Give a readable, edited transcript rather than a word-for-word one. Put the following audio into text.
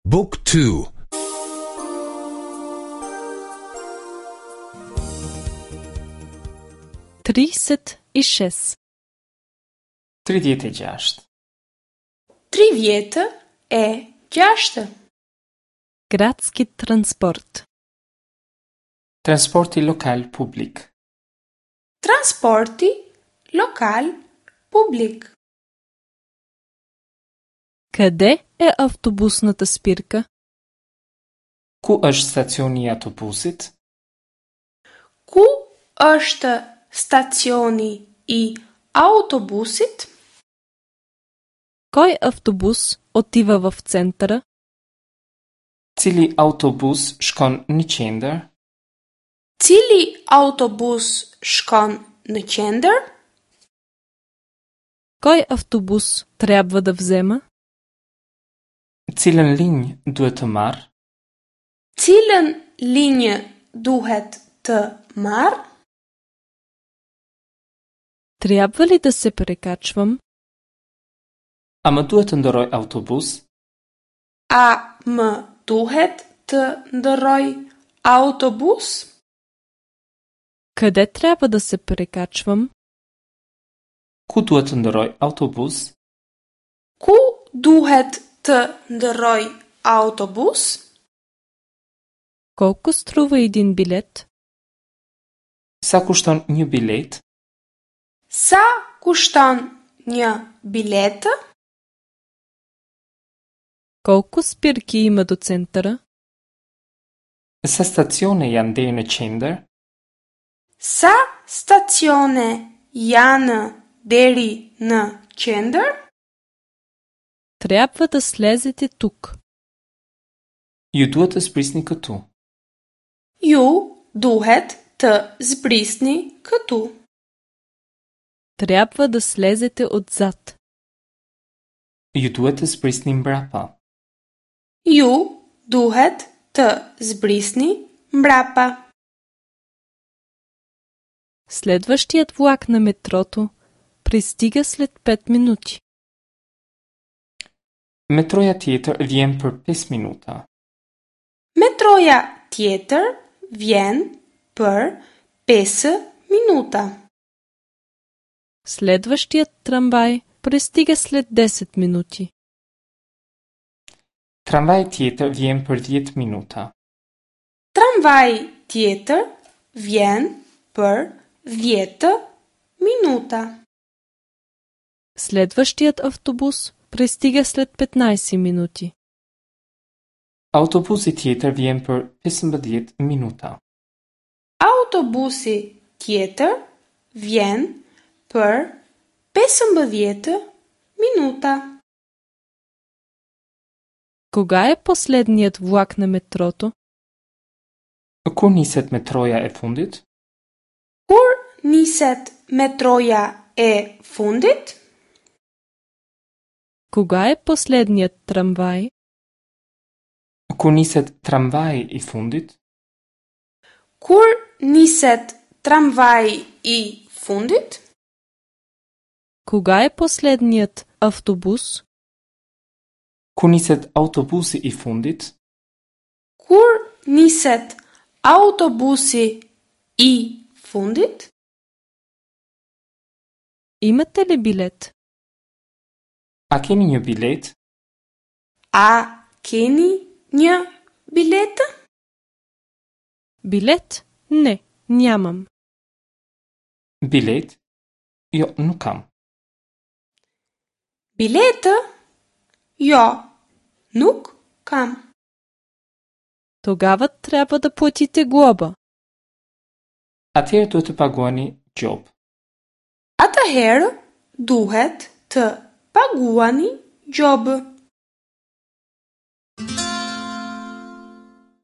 Book 2 36. 36. 36. Градски транспорт. Transporti lokal publik. Transporti lokal publik. Къде е автобусната спирка? Ku është stacioni i autobusit? Ku është stacioni i autobusit? Кой автобус отива в центъра? Cili autobus shkon në qendër? Cili autobus shkon në qendër? Кой автобус трябва да взема? Cilën linjë duhet të marr? Cilën linjë duhet të marr? Трябва ли да се прекачвам? A më duhet të ndërroj autobus? A më duhet të ndërroj autobus? Къде трябва да се прекачвам? Ku duhet të ndërroj autobus? Ku duhet të ndërroj autobus? Колко струва един билет? Sa kushton një biletë? Sa kushton një biletë? Колко спирки има до центъра? Sa stacione janë deri në qendër? Sa stacione janë deri në qendër? Трябва да слезете тук. Ju duhet të zbrisni këtu. Ju duhet të zbrisni këtu. Трябва да слезете отзад. Ju duhet të zbrisni mbrapa. Ju duhet të zbrisni mbrapa. Следващият влак на метрото пристига след 5 минути. Metroja tjetër vjen për 5 minuta. Metroja tjetër vjen për 5 minuta. Следващият трамвай пристига след 10 минути. Tramvaji tjetër vjen për 10 minuta. Tramvaji tjetër vjen për 10 minuta. Следващият автобус пристига след 15 минути. Autobusi tjetër vjen për 15 minuta. Autobusi tjetër vjen për 15 minuta. Кога е последният влак на метрото? Kur niset metroja e fundit? Kur niset metroja e fundit? Кога е последният трамвай? Kur niset tramvaji i fundit? Kur niset tramvaji i fundit? Кога е последният автобус? Kur niset autobusi i fundit? Kur niset autobusi i fundit? Имате ли билет? A keni një biletë? A keni një biletë? Билет? Не, нямам. Biletë? Jo, nuk kam. Biletë? Jo, nuk kam. Тогава трябва да платите глоба. Atëherë duhet të paguani gjobë. Atëherë duhet të paguani gjobë.